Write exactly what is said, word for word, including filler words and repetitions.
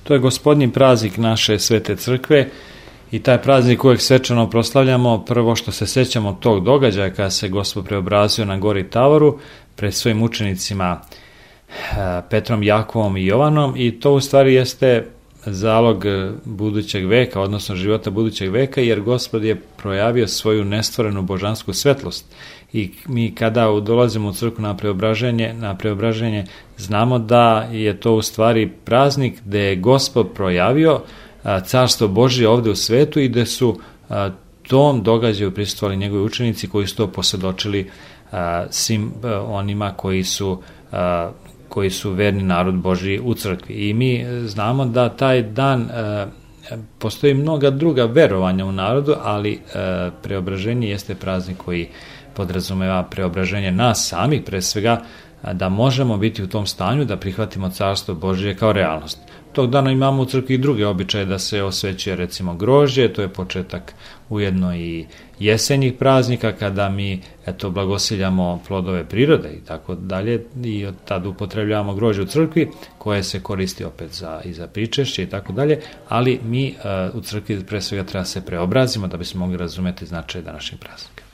To je Gospodnji praznik naše Svete Crkve i taj praznik uvijek svečano proslavljamo. Prvo što se sjećamo tog događaja kada se Gospod preobrazio na gori Tavoru pred svojim učenicima Petrom, Jakovom i Jovanom, i to u stvari jeste zalog budućeg veka, odnosno života budućeg veka, jer Gospod je projavio svoju nestvorenu božansku svetlost. I mi kada dolazimo u crkvu na preobraženje, na preobraženje znamo da je to u stvari praznik gdje je Gospod projavio carstvo Božje ovdje u svetu i gdje su tom događaju prisustvovali njegovi učenici koji su to posvjedočili svim onima koji su koji su verni narod Božji u crkvi. I mi znamo da taj dan e, postoji mnoga druga verovanja u narodu, ali e, preobraženje jeste praznik koji podrazumeva preobraženje nas samih, pre svega da možemo biti u tom stanju da prihvatimo carstvo Božje kao realnost. Tog dana imamo u crkvi i druge običaje da se osvećuje recimo grožđe, to je početak ujedno i jesenjih praznika kada mi eto blagosiljamo plodove prirode i tako dalje, i od tada upotrebljavamo grožđe u crkvi koje se koristi opet za, i za pričešće i tako dalje, ali mi uh, u crkvi pre svega treba se preobrazimo da bismo mogli razumjeti značaj današnjeg praznika.